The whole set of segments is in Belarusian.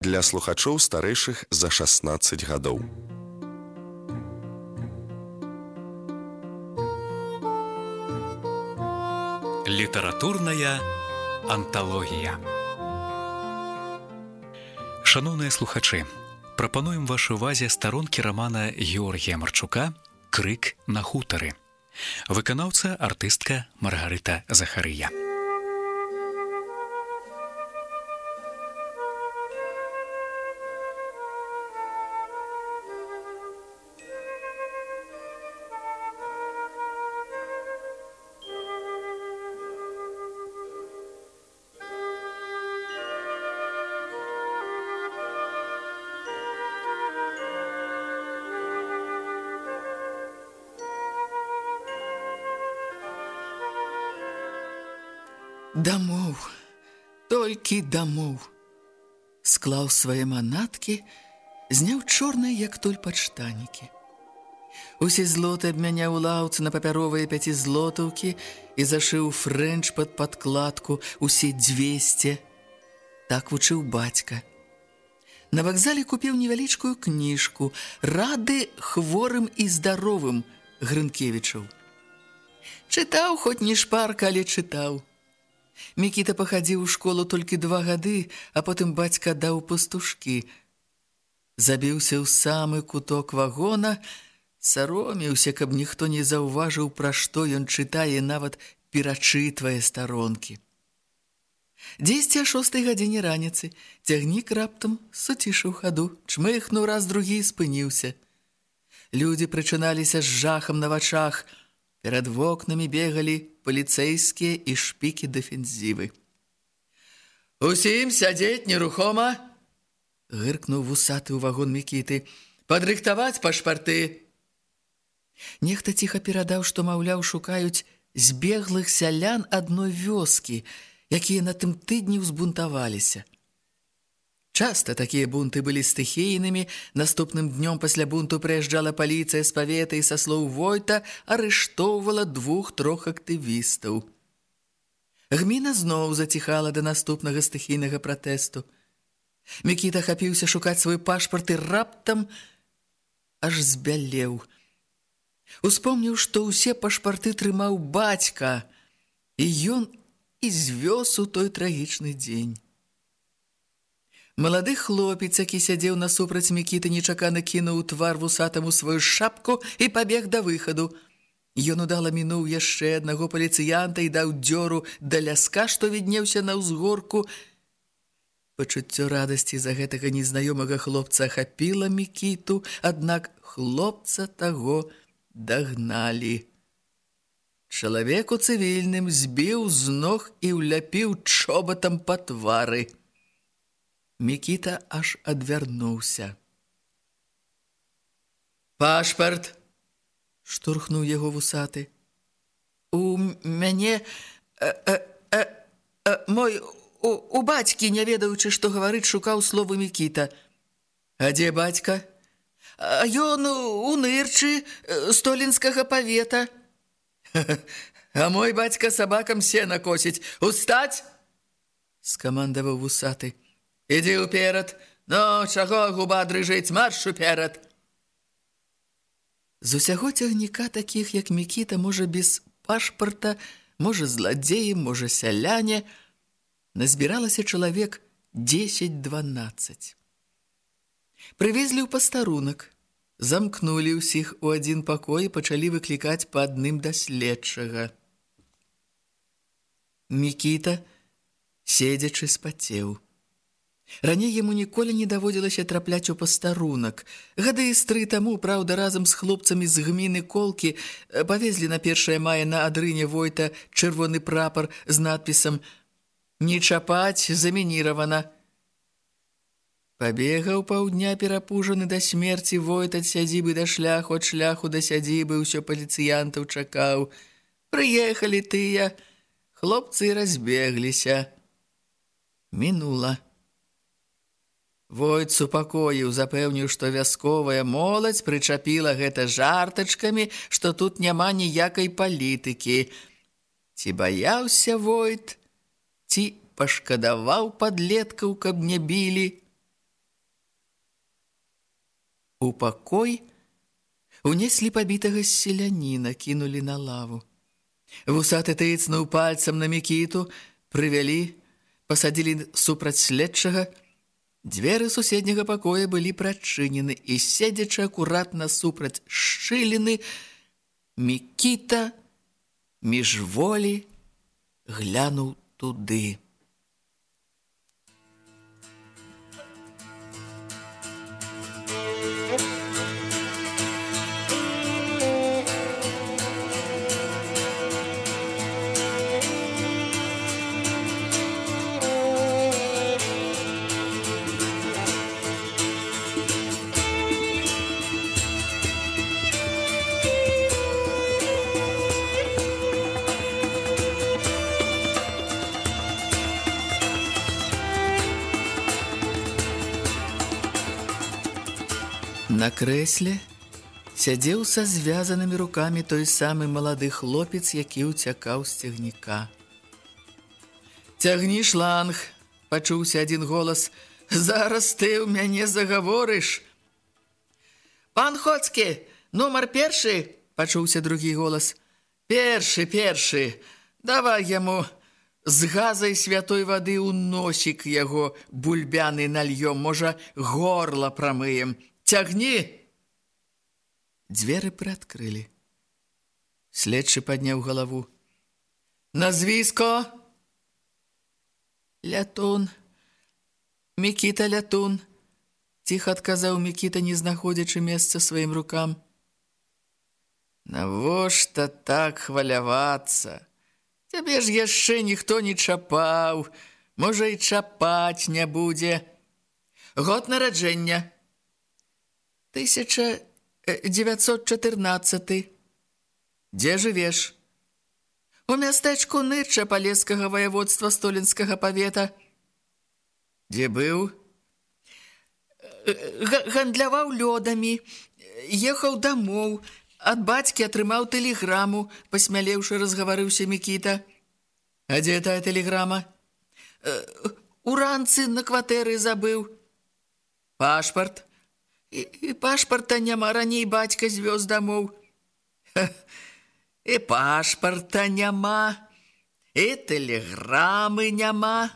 для слухачоў старэйшых за 16 гадоў. Літаратурная анталогія. Шаноўныя слухачы, прапануем вашай увазе старонкі рамана Георгія Марчука «Крык на хутары». Выканаўца артыстка Маргарыта Захарыя. Дамоў, толькі дамоў. Склаў свае манаткі, зняў чорныя, як толь падштанікі. Усе злоты абмяняў у лаўцы на папяровыя 5 і зашыў фрэнч пад падкладку усе 200. Так вучыў бацька. На вакзале купіў невялічкую кніжку «Рады хворым і здаровым» Грынкевічаў. Чытаў, хоць не шпарка, але чытаў. Мікіта пахадзіў у школу толькі 2 гады, а потым бацька даў пастушкі. Забіўся ў самы куток вагона, саромеўся, каб ніхто не заўважыў, пра што ён чытае, нават перачытвае старонкі. Дзесьці о 6 гадзіне раніцы цягнік раптам суцішыў хаду, чмыхнуў раз другі і спыніўся. Людзі прычыналіся з жахам на вачах. Перад вокнамі бегалі паліцэйскія і шпікі дэфензівы. «Усім сядзець нерухома!» — гыркнуў вусаты ў вагон Мікіты. «Падрыхтаваць пашпарты!» Нехта ціха перадаў, што, маўляў, шукаюць збеглых сялян адной вёскі, якія на тым тыдні ўзбунтаваліся. Часта такія бунты былі стыхійнымі. Наступным днём пасля бунту прыязджала паліцыя з павета і, са слоў Войта, арыштоўвала 2-3 актывістаў. Гміна зноў заціхала да наступнага стыхійнага пратэсту. Мікіта хапіўся шукаць свой пашпарт і раптам аж збялеў. Успомніў, што ўсе пашпарты трымаў бацька, і ён і звёз у той трагічны дзень. Малады хлопец, які сядзеў насупраць Мікіты, нечакана кінуў у твар вусатаму сваю шапку і пабег да выхаду. Ён удала мінуў яшчэ аднаго паліцыянта і даў дзёру да ляска, што віднеўся на ўзгорку. Пачуццё радасці за гэтага незнаёмага хлопца ахапіла Мікіту, аднак хлопца таго дагналі. Чалавек у цывільным збіў з ног і ўляпіў чобатам па твары. Мікіта аж адвярнуўся. «Пашпарт!» — штурхнуў яго вусаты. «У мяне... мой... у бацькі, не ведаючы, што гаварыць, шукаў словы Мікіта». «А дзе бацька?» «А ён у нырчы столінскага павета». «А мой бацька сабакам сена косіць. Устаць!» — скамандаваў вусаты. «Ідзі ўперад! Ну, чаго губа дрыжыць, марш уперад!» З усяго цягніка такіх, як Мікіта, можа без пашпарта, можа зладзеі, можа сяляне, назбіралася чалавек 10-12. Прывезлі ў пастарунак, замкнулі ўсіх у адзін пакой і пачалі выклікаць па адным да следчага. Мікіта, седзячы, спацеў. Раней яму ніколі не даводзілася трапляць у пастарунак. Гады з 3 таму, праўда, разам з хлопцамі з гміны Колкі павезлі на 1 мая на адрыне Войта чырвоны прапар з надпісам «Не чапаць, замініравана». Пабегаў паўдня перапужаны да смерці Войт ад сядзібы да шляху, ад шляху да сядзібы, ўсё паліцыянтаў чакаў. Прыехалі тыя, хлопцы разбегліся. Мінула. Войт супакоіў, запэўніў, што вясковая моладзь прычапіла гэта жартачкамі, што тут няма ніякай палітыкі. Ці баяўся Войт, ці пашкадаваў падлеткаў, каб не білі? У пакой унеслі пабітага селяніна, кінулі на лаву. Вусаты тыцнуў пальцам на Мікіту, прывялі, пасадзілі супраць следчага. Дзверы суседняга пакоя былі прачынены, і, седзячы акуратна супраць шчыліны, Мікіта міжволі глянуў туды. На крэсле сядзеў са звязанымі рукамі той самы малады хлопец, які ўцякаў з цягніка. «Цягні шланг!» – пачуўся адзін голас. «Зараз ты ў мяне загаворыш!» «Пан Хоцкі, нумар першы!» – пачуўся другі голас. «Першы! Давай яму з газай святой вады ў носік яго бульбяны нальём, можа, горла прамыем. Цягні!» Дзверы прыадкрылі. Следчы падняў галаву. «Назвіско?» «Лятун. Мікіта Лятун», – ціха адказаў Мікіта, не знаходзячы месца сваім рукам. «Навошта так хвалявацца? Цябе ж яшчэ ніхто не чапаў, можа, і чапаць не будзе. Год нараджэння?» 1914. Дзе жывеш? У мястэчку Нырча Палескага ваяводства Столінскага павета. Дзе быў? Гандляваў лёдамі, ехаў дамоў, ад бацькі атрымаў тэлеграму, пасмялеўшы разгаварыўся Мікіта. А дзе тая тэлеграма? Уранцы на кватэры забыў. Пашпарт? І пашпарта няма, раней бацька звёз дамоў. І пашпарта няма, і тэлеграмы няма.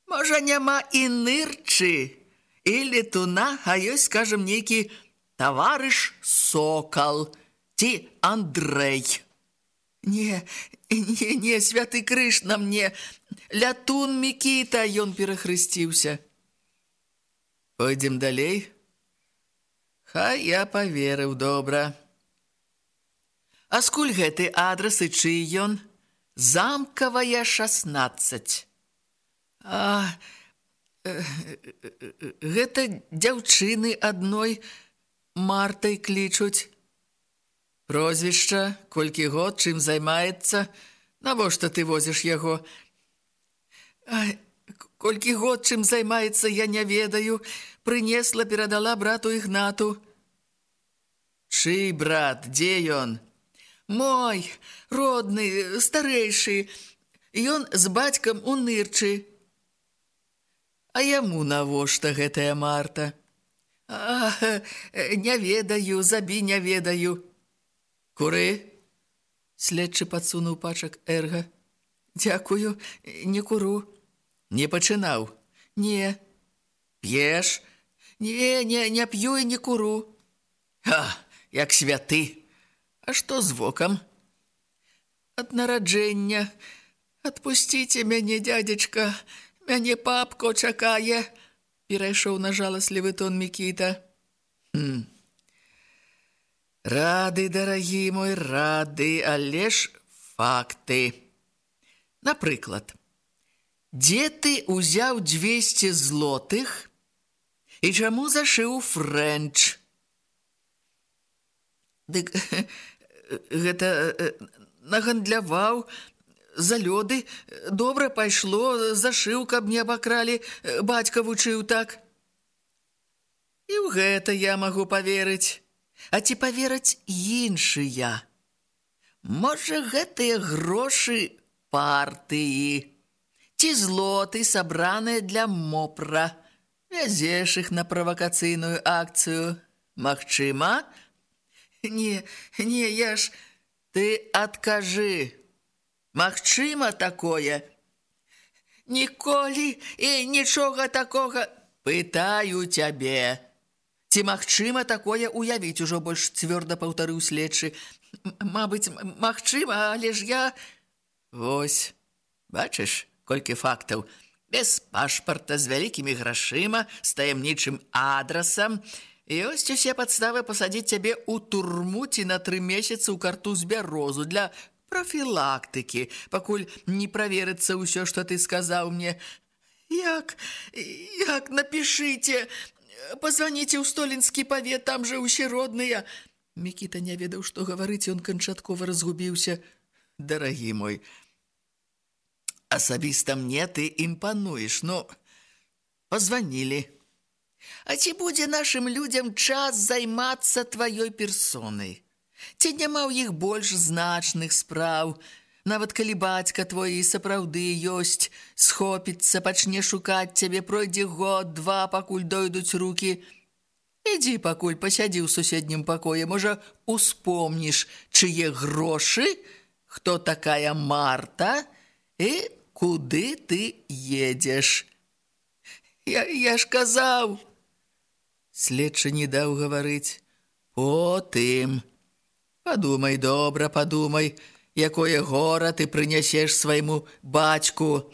Можа, няма і Нырчы, і Летуна, а ёсць, скажам, нейкі таварыш Сокал ці Андрэй. Не, святы крыж на мне. Лятун Мікіта, ён перахрысціўся. Пойдзем далей? Хай я паверыў, добра. А скуль гэты адрас і чый ён? Замкавая, 16. Гэта дзяўчыны адной Мартай клічуць. Прозвішча, колькі год, чым займаецца? Навошта ты возіш яго? Колькі год, чым займаецца, я не ведаю. Прынесла, перадала брату Ігнату. Чый брат? Дзе ён? Мой, родны, старэйшы. Ён з бацькам у Нырчы. А яму навошта гэтая Марта? Не ведаю, забі не ведаю. Куры? Следчы падсунуў пачак эрга. Дзякую, не куру. Не пачынаў? Не. П'еш? Не п'ю і не куру. Як святы. А што з вокам? Ад нараджэння. Адпусціце мяне, дзядзечка. Мяне папко чакае. Перайшоў на жаласлівы тон Мікіта. Рады, дарагі мой, рады, але ж факты. Напрыклад, дзе ты ўзяў 200 злотых і чаму зашыў фрэнч? Дык гэта нагандляваў за лёды, добра пайшло, зашыў, каб не абакралі, бацька вучыў так. І ў гэта я магу паверыць. А ці павераць іншыя? Можа, гэтыя грошы партыі, ці злоты, сабраныя для мопра. Вязеш іх на правакацыйную акцыю. Магчыма? Не, я ж... Ты адкажы. Магчыма такое? Ніколі і нічога такога. Пытаю цябе. Ці магчыма такое уявіць, ужо больш цвёрда паўтарыў следчы. Мабыць, магчыма, але ж я... Вось, бачыш, колькі фактаў. Без пашпарта, з вялікімі грашыма, з таямнічым адрасам. Ёсць усе падставы пасадзіць цябе ў турму ці на 3 месяцы ў картуз бярозу для профілактыкі, пакуль не праверыцца ўсё, што ты сказаў мне. Як, напішыце, пазваніце ў Столінскі павет, там жа ўсе родныя. Мікіта не ведаў, што гаварыць, ён канчаткова разгубіўся. Дарагі мой, асабіста мне ты імпануеш, ну, пазванілі. А ці будзе нашым людзям час займацца тваёй персонай? Ці няма ў іх больш значных спраў? Нават калі бацька твой і сапраўды ёсць, схопіцца, пачне шукаць цябе, пройдзе год-два, пакуль дойдуць рукі. Ідзі пакуль пасядзі ў суседнім пакоі, можа, успомніш, чые грошы, хто такая Марта і куды ты едзеш. Я ж казаў. Следчы не даў гаварыць. Потым. Падумай, добра, падумай, якое гора ты прынясеш свайму бацьку.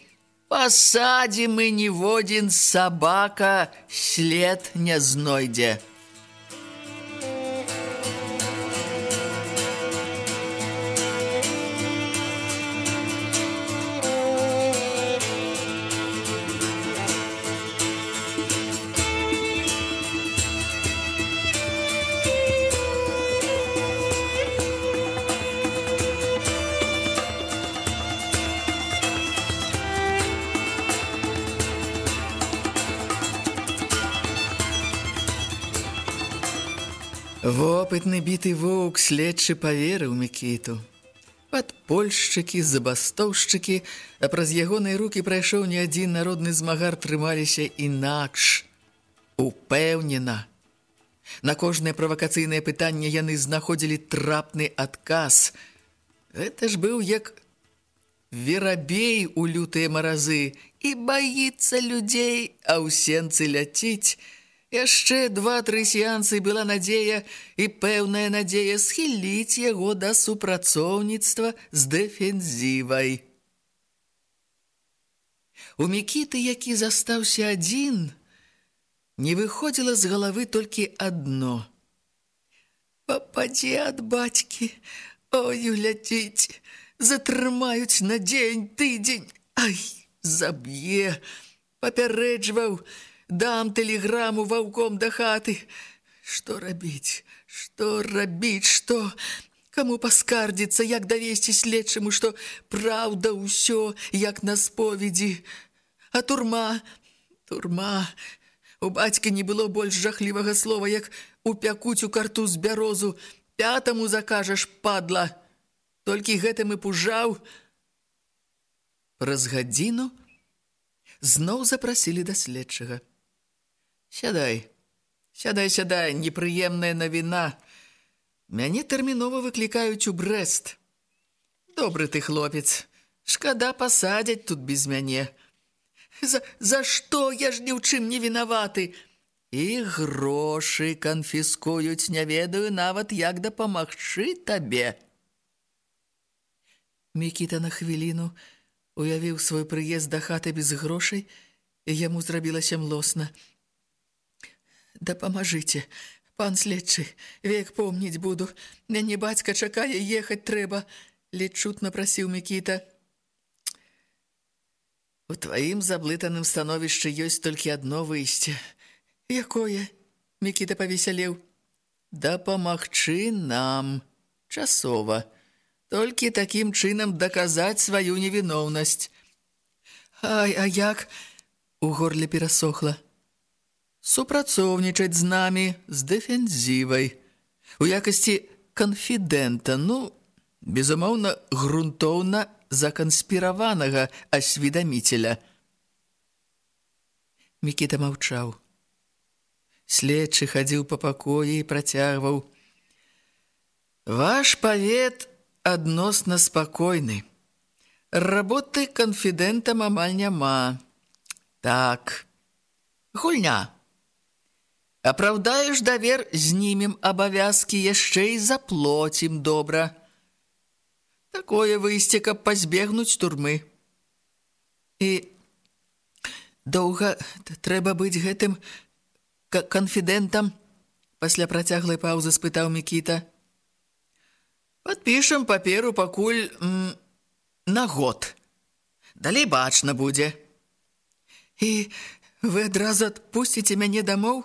Пасадзім і ніводзін сабака след не знойдзе. Вопытны біты воўк следчы паверыў Мікіту. Падпольшчыкі, забастоўшчыкі, а праз ягоныя рукі прайшоў не адзін народны змагар, трымаліся інакш, упэўнена. На кожнае правакацыйнае пытанне яны знаходзілі трапны адказ. Гэта ж быў як верабей у лютыя маразы, і баіцца людзей, а ў сенцы ляціць. Яшчэ 2-3 сеансы была надзея і пэўная надзея схіліць яго да супрацоўніцтва з дэфензівай. У Мікіты, які застаўся адзін, не выходзіла з галавы толькі адно. Пападзе ад бацькі, ой, ляціць, затрымаюць на дзень, тыдзень, ай, заб'е, папярэджваў, дам тэлеграму ваўком да хаты. Што рабіць? Што рабіць? Што? Каму паскардзіцца? Як давесці следчаму, што праўда ўсё, як на споведзі? А турма? Турма. У бацька не было больш жахлівага слова, як упякуць у картуз бярозу. 5-му закажаш, падла. Толькі гэтым і пужаў. Праз гадзіну зноў запрасілі да следчага. Сядай, непрыемная навіна. Мяне тэрмінова выклікаюць у Брэст. Добры ты хлопец, шкада пасадзяць тут без мяне. За што? Я ж ні ў чым не вінаваты. І грошы канфіскуюць, не ведаю нават, як дапамагчы табе. Мікіта на хвіліну уявіў свой прыезд да хаты без грошай, і яму зрабілася млосна. Дапамажыце, пан следчы, век помніць буду. Мяне бацька чакае, ехаць трэба, ледзь чутна прасіў Мікіта. У тваім заблытаным становішчы ёсць толькі адно выйсце. Якое? Мікіта павесялеў. Дапамагчы нам. Часова. Толькі такім чынам даказаць сваю невіноўнасць. Ай, а як? У горле перасохла. Супрацоўнічаць з намі, з дэфензівай. У якасці канфідэнта, безумоўна, грунтоўна заканспіраванага асведаміцеля. Мікіта маўчаў. Следчы хадзіў па пакоі і працягваў. Ваш павет адносна спакойны. Работы канфідэнтам амаль няма. Так, гульня. Апраўдаеш давер, знімем абавязкі, яшчэ і заплоцім добра. Такое выйсце, каб пазбегнуць турмы. І доўга трэба быць гэтым канфідэнтам? Пасля працяглай паўзы спытаў Мікіта. Падпішам паперу пакуль на год. Далей бачна будзе. І вы адразу адпусціце мяне дамоў?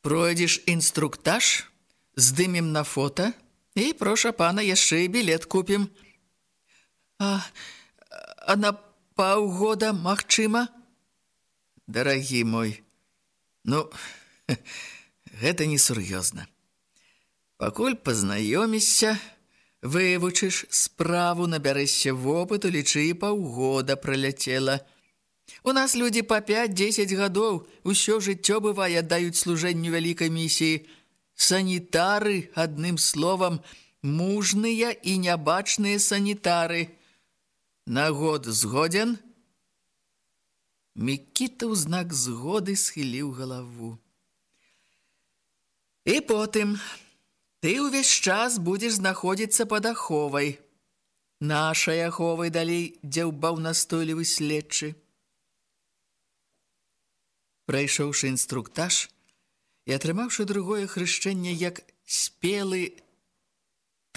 Пройдзеш інструктаж, здымем на фота і, проша пана, яшчэ і білет купім. А на паўгода магчыма? Дарагі мой, гэта несур'ёзна. Пакуль пазнаёмішся, вывучыш справу, набярэшся вопыту, лічы, і паўгода праляцела. У нас людзі па 5-10 гадоў усё жыццё бывае аддаюць служэнню вялікай місіі. Санітары, адным словам, мужныя і нябачныя санітары. На год згоден? Мікіта ў знак згоды схіліў галаву. І потым ты ўвесь час будзеш знаходзіцца пад аховай. Нашай аховай, далей дзяўбаў настойлівы следчы. Прайшоўшы інструктаж і атрымаўшы другое хрышчэнне як спелы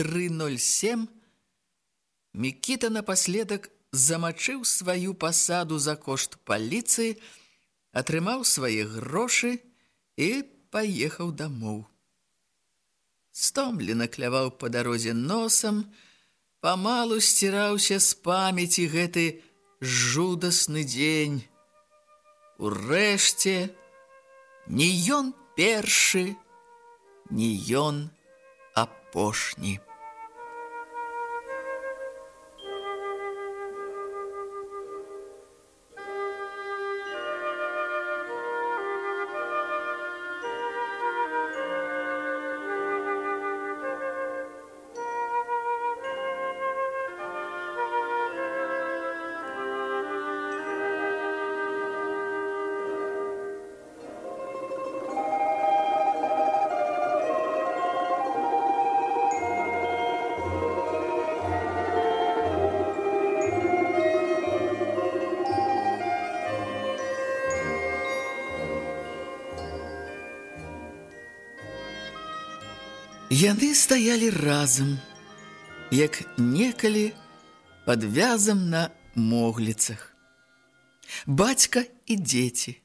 307, Мікіта напаследак замачыў сваю пасаду за кошт паліцыі, атрымаў свае грошы і паехаў дамоў. Стомлена кляваў па дарозе носам, памалу сціраўся з памяці гэты жудасны дзень. Урэшце, ні ён першы, ні ён апошні. Яны стаялі разам, як некалі пад вязам на могліцах. Бацька і дзеці.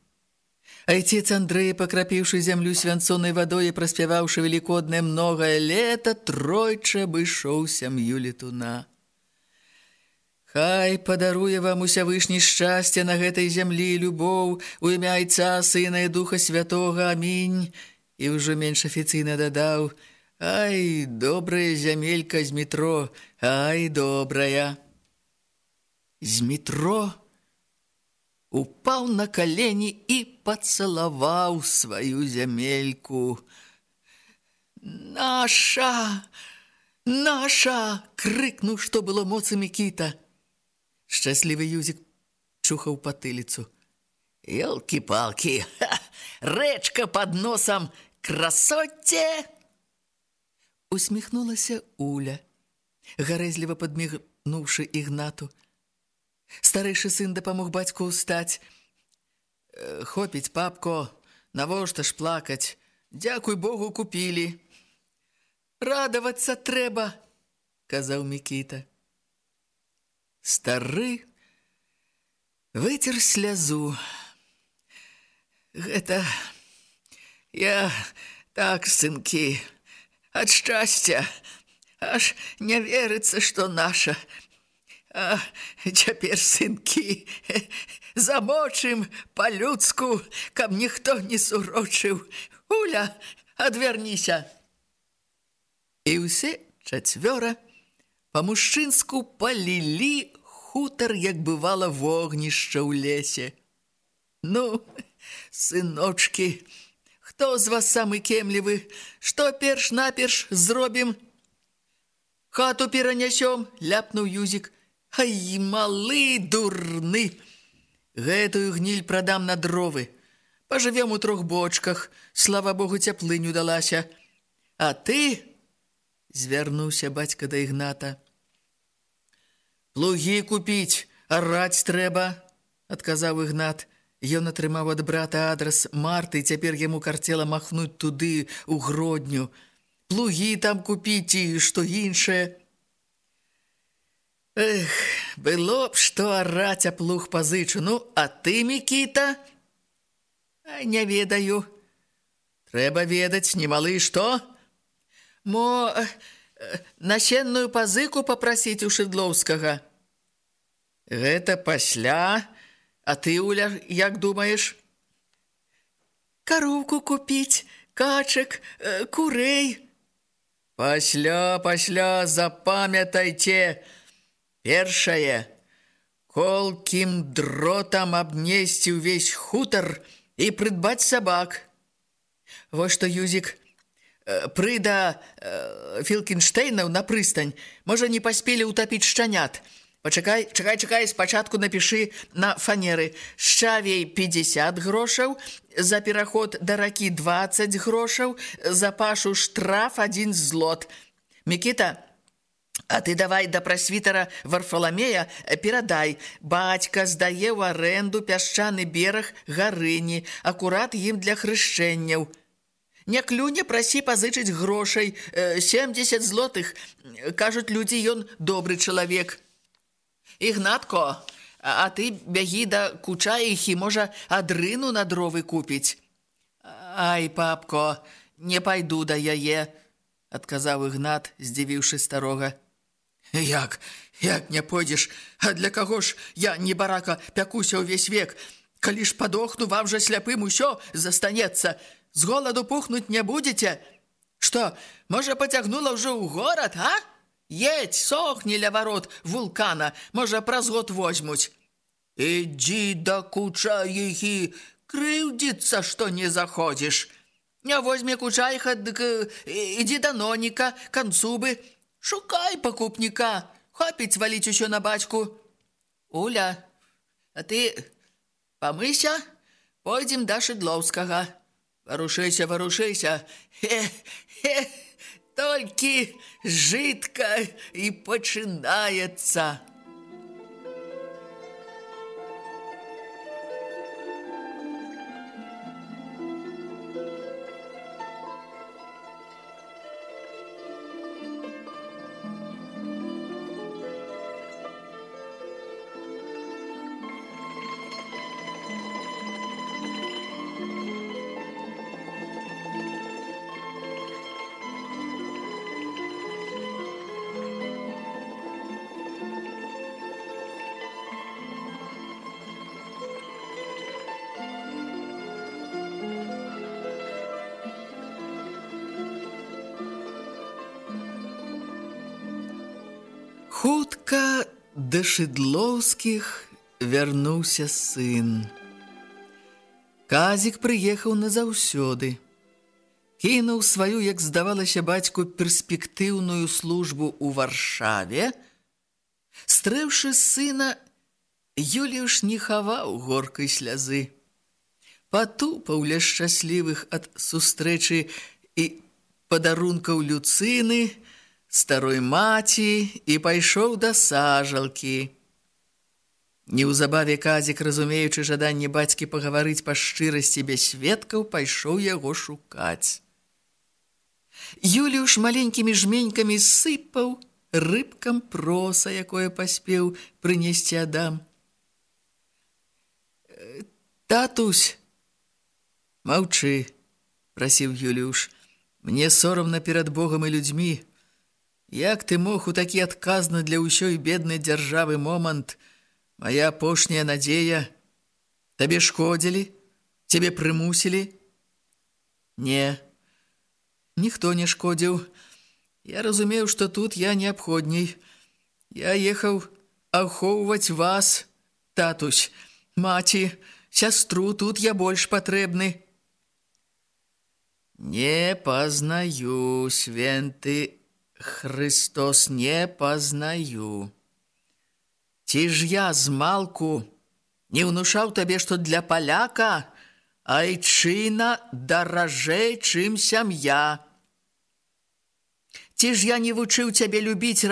Айцец Андрэй, пакрапіўшы зямлю свянцонай вадой і праспяваўшы велікоднае многае лета, тройчы абышоў сям'ю летуна. Хай падаруе вам усявышні шчасце на гэтай зямлі, любоў, у імя Айца, Сына і Духа Святога, амінь. І ўжо менш афіцыйна дадаў: ай, добрая зямелька з метро, ай, добрая. З метро упаў на калені і пацалаваў сваю зямельку. «Наша! Наша!» — крыкнуў, што было моцы Мікіта. Шчаслівы Юзік чухаў патыліцу. «Ёлкі-палкі! Рэчка пад носам! Красоце!» Усміхнулася Уля, гарэзліва падмігнуўшы Ігнату. Старэйшы сын дапамог бацьку ўстаць. «Хопіць, папко, навошта ж плакаць? Дзякуй Богу, купілі». «Радавацца трэба», — казаў Мікіта. Стары выцер слязу. «Гэта я так, сынкі, ад шчасця, аж не верыцца, што наша. А цяпер, сынкі, замочым па-людску, каб ніхто не сурочыў. Уля, адвярніся!» І ўсе чацвёра па-мужчынску палілі хутар, як бывала вогнішча ў лесе. «Ну, Сыночки, хто з вас самы кемлівы? Што перш-наперш зробім? Хату перанясём, ляпнуў Юзік. Ай, малы дурны! Гэтую гніль прадам на дровы. Пажывем у 3 бочках, слава Богу, цяплыню далася. А ты, звярнуўся бацька да Ігната, плугі купіць, араць трэба, адказаў Ігнат. Ён атрымаў ад брата адрас Марты, і цяпер яму карцела махнуць туды, у Гродню. Плугі там купіць і што іншае. Эх, было б што араць, а плуг пазычу. Ну, а ты, Мікіта? Не ведаю. Трэба ведаць, немалы, што? Мо насенную пазыку папрасіць у Шыдлоўскага. Гэта пасля... А ты, Уля, як думаеш? Кароўку купіць, качак, курэй. Пасля, запамятайце. Першае, колкім дротам абнесці ўвесь хутар і прыдбаць сабак. Вось што, Юзік, прыда Філкенштейнаў на прыстань. Можа, не паспелі ўтапіць шчанят. Пачакай, спачатку напішы на фанеры. Шчавей 50 грошаў, за пераход да ракі 20 грошаў, за пашу штраф 1 злот. Мікіта, а ты давай да прасвітара Варфаламея перадай. Бацька здае ў арэнду пясчаны бераг Гарыні, акурат ім для хрышчэнняў. Не клюне, прасі пазычыць грошай, 70 злотых. Кажуць людзі, ён добры чалавек. Ігнатко, а ты бягі да Кучаіхі, можа, адрыну на дровы купіць. Ай, папко, не пайду да яе, адказаў Ігнат, здзівіўшы старога. Як не пойдзеш? А для каго ж я, небарака, пякуся ўвесь век? Калі ж падохну, вам жа сляпым усё застанецца. З голаду пухнуць не будзеце? Што, можа, пацягнула ўжо ў горад, а? Едь, сохні ля варот вулкана, можа, праз год возьмуць. Ідзі да Кучаіхі, крыўдзіцца, што не заходзіш. Не возьме Кучаіха, дык ідзі да Ноніка, Канцубы. Шукай пакупніка, хопіць валіць усё на бацьку. Уля, а ты памыся, пойдзем да Шыдлоўскага. Варушыся. Толькі жытка і пачынаецца. Хутка да Шыдлоўскіх вярнуўся сын. Казік прыехаў назаўсёды. Кінуў сваю, як здавалася бацьку, перспектыўную службу ў Варшаве. Стрэўшы сына, Юліуш не хаваў горкай слязы. Патупаў ля шчаслівых ад сустрэчы і падарункаў Люцыны, старой маці, і пайшоў да сажалкі. Неўзабаве Казік, разумеючы жаданне бацькі пагаварыць па шчырасці без сведкаў, пайшоў яго шукаць. Юліуш маленькімі жменькамі сыпаў рыбкам проса, якое паспеў прынесці Адам. «Татусь!» «Маўчы!» – прасіў Юліуш. «Мне сорамна перад Богам і людзьмі. Як ты мог у такі адказны для ўсёй беднай дзяржавы момант? Моя апошняя надзея. Табе шкодзілі? Цябе прымусілі?» «Не, ніхто не шкодзіў. Я разумеў, што тут я неабходней. Я ехаў ахоўваць вас, татусь. Маці сястру, тут я больш патрэбны. Не пазнаю, святы Христос, не пазнаю. Ці ж я змалку не ўнушаў табе, што для паляка айчына даражэй, чым сям'я. Ці ж я не вучыў цябе любіць